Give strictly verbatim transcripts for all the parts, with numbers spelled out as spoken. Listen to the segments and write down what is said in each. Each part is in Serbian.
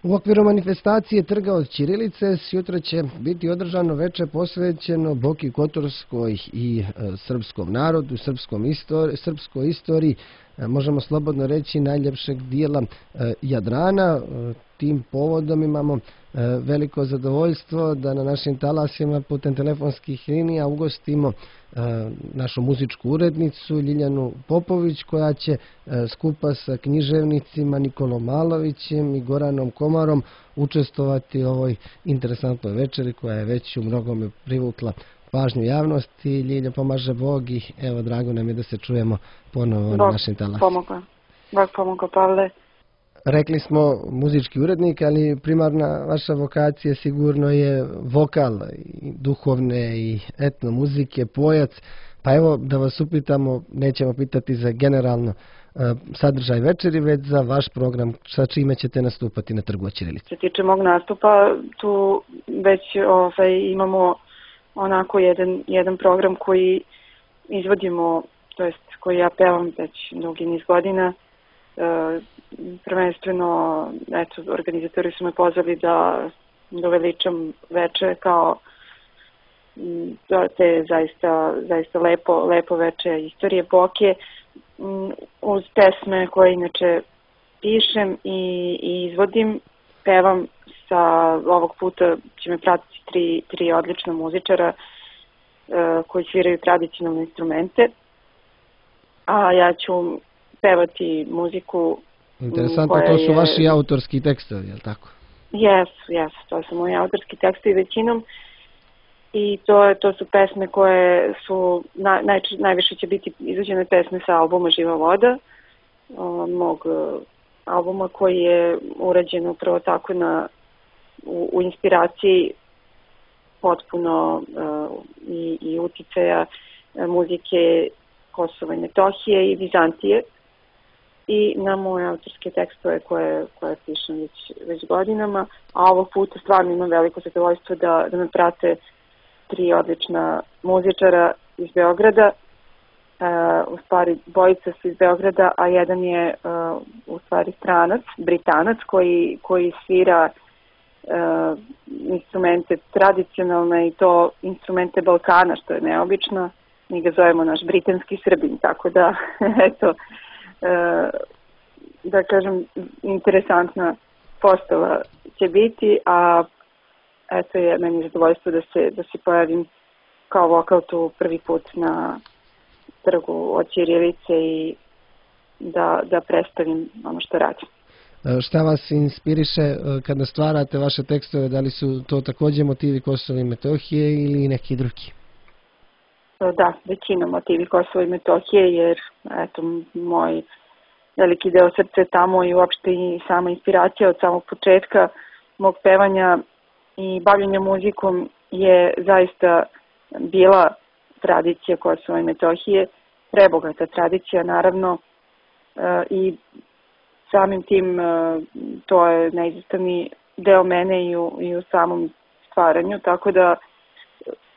U okviru manifestacije Trga od ćirilice sutra će biti održano veče posvećeno Boki Kotorskoj i e, srpskom narodu, srpskom istori, srpskoj istoriji, e, možemo slobodno reći najljepšeg dijela e, Jadrana. E, tim povodom imamo e, veliko zadovoljstvo da na našim talasima putem telefonskih linija ugostimo našu muzičku urednicu Ljiljanu Popović, koja će skupa sa književnicima Nikolom Malovićem i Goranom Komarom učestvovati u ovoj interesantnoj večeri koja je već u mnogome privukla pažnju javnosti. Ljilja, pomaže Bog i evo, drago nam je da se čujemo ponovo na našim talasima. Bog pomoga. Bog pomoga, Pavle. Rekli smo muzički urednik, ali primarna vaša vokacija sigurno je vokal, i duhovne i etno muzike, pojac. Pa evo da vas upitamo, nećemo pitati za generalno sadržaj večeri, već za vaš program, sa čime ćete nastupati na Trgu od ćirilice. Što se tiče mog nastupa, tu već ovaj, imamo onako jedan, jedan program koji izvodimo, to jest koji ja pevam već dugi niz godina. E, prvenstveno, eto, organizatori su me pozvali da doveličam veče kao te zaista, zaista lepo, lepo veče istorije Boke uz pesme koje inače pišem i, i izvodim. Pevam sa, ovog puta će me pratiti tri, tri odlična muzičara e, koji sviraju tradicionalne instrumente, a ja ću pevati muziku. Interesantno, to su je... vaši autorski tekstovi, je li tako? Jesu, jesu, to su moji autorski tekstovi većinom i to, to su pesme koje su, na, naj, najviše će biti izvođene pesme sa albuma Živa voda, mog albuma koji je urađen upravo tako na, u, u inspiraciji potpuno uh, i, i uticaja muzike Kosova i Metohije i Vizantije i na moje autorske tekstove koje, koje pišem već, već godinama, a ovog puta stvarno imam veliko zadovoljstvo da, da me prate tri odlična muzičara iz Beograda. Uh, u stvari bojica su iz Beograda, a jedan je uh, u stvari stranac, Britanac koji, koji svira uh, instrumente tradicionalne i to instrumente Balkana, što je neobično. Mi ga zovemo naš britanski Srbin, tako da eto, uh, da kažem, interesantna postava će biti, a eto je meni zadovoljstvo da se, da se pojavim kao vokal tu prvi put na Trgu od ćirilice i da, da predstavim ono što radim. Šta vas inspiriše kada stvarate vaše tekstove? Da li su to također motivi Kosova i Metohije ili neki drugi? Da, većina motivi Kosova i Metohije, jer eto, moj veliki deo srca je tamo i uopšte i sama inspiracija od samog početka mog pevanja i bavljenja muzikom je zaista bila tradicija Kosova i Metohije, prebogata tradicija naravno e, i samim tim e, to je neizostavni deo mene i u, i u samom stvaranju, tako da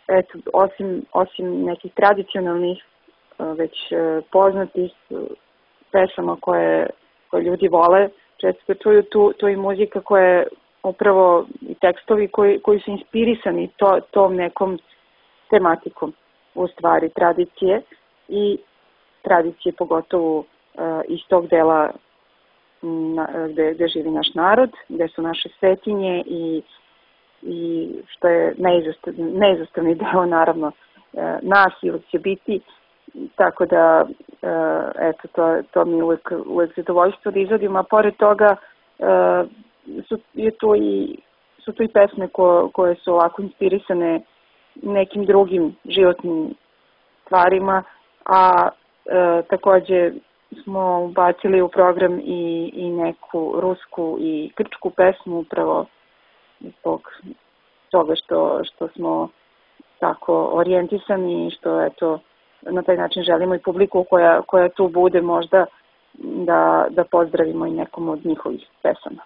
eto, osim, osim nekih tradicionalnih e, već e, poznatih e, pesama koje, koje ljudi vole, često čuju tu, tu i muzika koja je upravo i tekstovi koji, koji su inspirisani to, tom nekom tematikom u stvari tradicije i tradicije pogotovo uh, iz tog dela na, gde, gde živi naš narod, gde su naše svetinje i, i što je neizostavni, neizostavni deo naravno uh, nas i uvijek će biti, tako da uh, eto, to, to mi je uvijek, uvijek zadovoljstvo da izvodim, a pored toga uh, su, je to i, su to i pesme ko, koje su ovako inspirisane nekim drugim životnim stvarima, a e, također smo ubacili u program i, i neku rusku i grčku pesmu upravo zbog toga što, što smo tako orijentisani i što eto, na taj način želimo i publiku koja, koja tu bude možda da, da pozdravimo i nekom od njihovih pesama.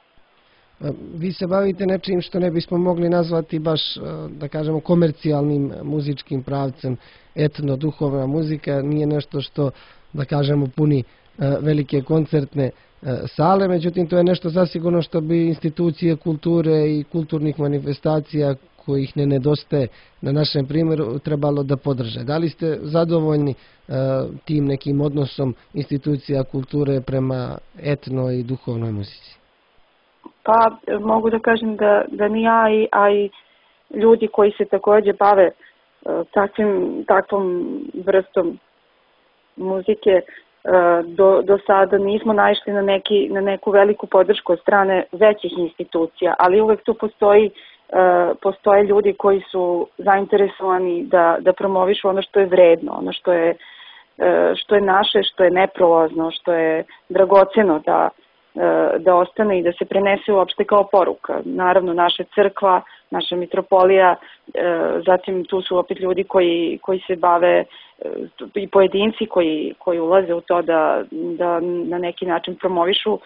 Vi se bavite nečim što ne bismo mogli nazvati baš, da kažemo, komercijalnim muzičkim pravcem. Etno-duhovna muzika nije nešto što, da kažemo, puni velike koncertne sale, međutim to je nešto zasigurno što bi institucije kulture i kulturnih manifestacija kojih ne nedostaje na našem primjeru trebalo da podrže. Da li ste zadovoljni tim nekim odnosom institucija kulture prema etno i duhovnoj muzici? Pa mogu da kažem da, da ni ja, a i ljudi koji se takođe bave takvim, takvom vrstom muzike do, do sada nismo naišli na, neki, na neku veliku podršku od strane većih institucija, ali uvek tu postoji, postoje ljudi koji su zainteresovani da, da promovišu ono što je vredno, ono što je, što je naše, što je neprolazno, što je dragoceno da, da ostane i da se prenese uopšte kao poruka. Naravno, naša crkva, naša mitropolija, zatim tu su opet ljudi koji, koji se bave i pojedinci koji, koji ulaze u to da, da na neki način promovišu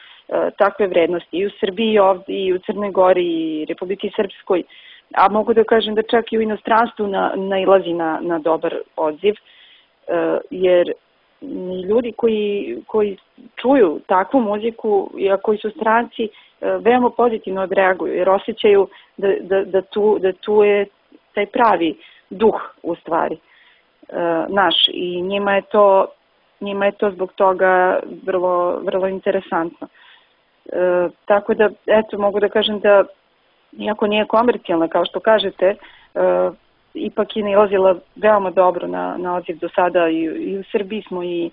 takve vrednosti i u Srbiji, i ovdje, i u Crnoj Gori, i Republiki Srpskoj, a mogu da kažem da čak i u inostranstvu na, nailazi na, na dobar odziv, jer ljudi koji, koji čuju takvu muziku, a koji su stranci, veoma pozitivno odreaguju, jer osjećaju da, da, da, tu, da tu je taj pravi duh u stvari naš i njima je to, njima je to zbog toga vrlo, vrlo interesantno. E, tako da, eto, mogu da kažem da, iako nije komercijalna, kao što kažete, e, ipak je nailazila veoma dobro na, na odziv do sada i, i u Srbiji smo i e,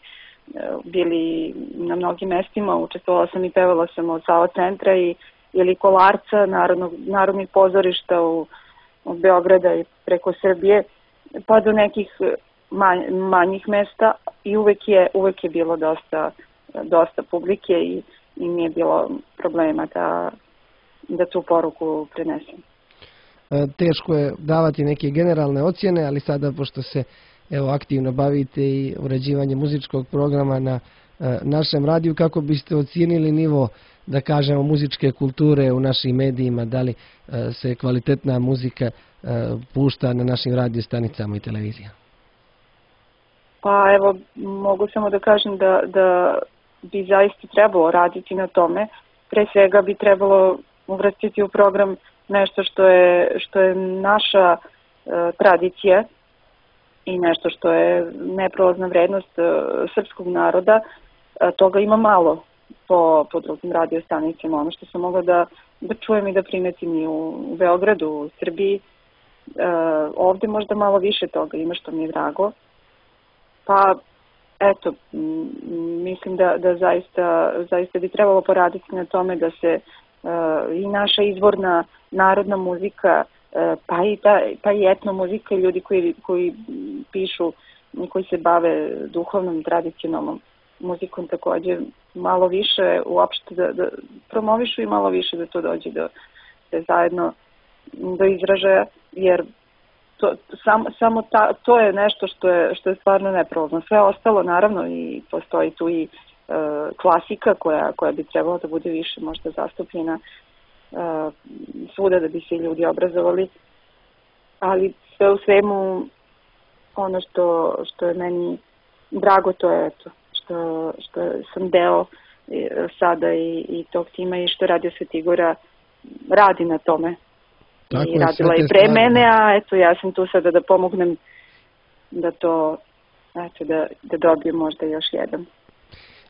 bili na mnogim mestima, učestvovala sam i pevala sam od Sava centra i ili Kolarca, narodnog, narodnih pozorišta u, od Beograda i preko Srbije, pa do nekih manj, manjih mesta i uvek je, uvek je bilo dosta, dosta publike i, i nije bilo problema da, da tu poruku prenesem. Teško je davati neke generalne ocjene, ali sada pošto se evo aktivno bavite i uređivanjem muzičkog programa na našem radiju, kako biste ocijenili nivo, da kažemo, muzičke kulture u našim medijima, da li se kvalitetna muzika pušta na našim radio stanicama i televizijama? Pa evo, mogu samo da kažem da, da bi zaista trebalo raditi na tome. Pre svega bi trebalo uvrstiti u program nešto što je, što je naša e, tradicija i nešto što je neprolazna vrednost e, srpskog naroda. E, toga ima malo po, po drugim radio stanicama. Ono što sam mogla da, da čujem i da primetim i u, u Beogradu, u Srbiji. E, ovde možda malo više toga ima, što mi je drago. Pa, eto, mislim da, da zaista, zaista bi trebalo poraditi na tome da se uh, i naša izvorna narodna muzika, uh, pa, i ta, pa i etno muzika i ljudi koji, koji pišu i koji se bave duhovnom, tradicionalnom muzikom također malo više uopšte da, da promovišu i malo više da to dođe do, da zajedno do izražaja, jer To, sam, samo ta, to je nešto što je, što je stvarno neprolazno. Sve ostalo, naravno, i postoji tu i e, klasika koja, koja bi trebala da bude više možda zastupljena e, svuda da bi se ljudi obrazovali. Ali sve u svemu, ono što, što je meni drago, to je eto, što, što sam deo e, sada i, i tog tima i što Radio Svetigora radi na tome. Tako i radila i pre mene, a eto ja sam tu sada da pomognem da to, eto, da, da dobijem možda još jedan.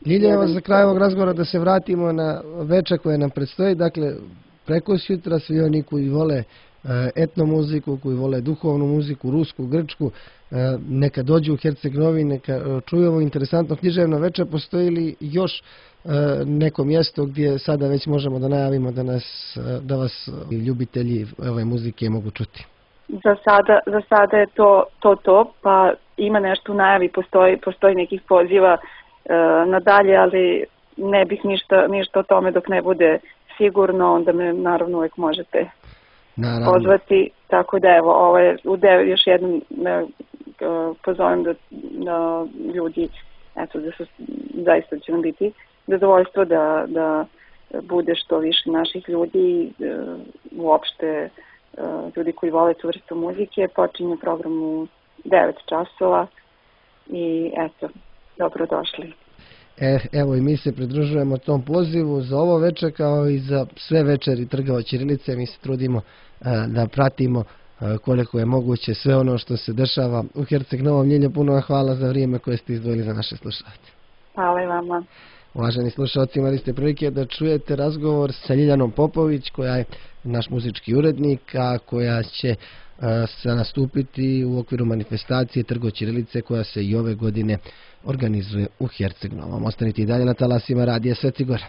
Ljilja, evo za kraj ovog razgovora da se vratimo na veče koje nam predstoji. Dakle, preko sutra svi oni koji vole etno muziku, koji vole duhovnu muziku, rusku, grčku, neka dođu u Herceg-Novi, neka čuju ovo interesantno književno veče. Postoji li još neko mjesto gdje sada već možemo da najavimo da, nas, da vas ljubitelji ove muzike mogu čuti? Za sada, za sada je to, to to, pa ima nešto u najavi, postoji, postoji nekih poziva e, nadalje, ali ne bih ništa, ništa o tome dok ne bude sigurno, onda me naravno uvijek možete naravno pozvati, tako da evo, ovo je u devet, još jednom ne, pozovem da, da ljudi, eto, da su, zaista će nam biti zadovoljstvo da, da bude što više naših ljudi, uopšte ljudi koji vole tu vrstu muzike. Počinje program u devet časova i eto, dobrodošli. E, evo i mi se pridružujemo tom pozivu za ovo večer kao i za sve večeri Trga od ćirilice. Mi se trudimo a, da pratimo a, koliko je moguće sve ono što se dešava u Herceg Novom. Ljiljo, puno vam hvala za vrijeme koje ste izdvojili za naše slušalce. Hvala i vama. Uvaženi slušalci, imali ste prilike da čujete razgovor sa Ljiljanom Popović, koja je naš muzički urednik, a koja će se nastupiti u okviru manifestacije Trg od ćirilice koja se i ove godine organizuje u Herceg Novom. Ostanite i dalje na talasima Radija Sveti Gor.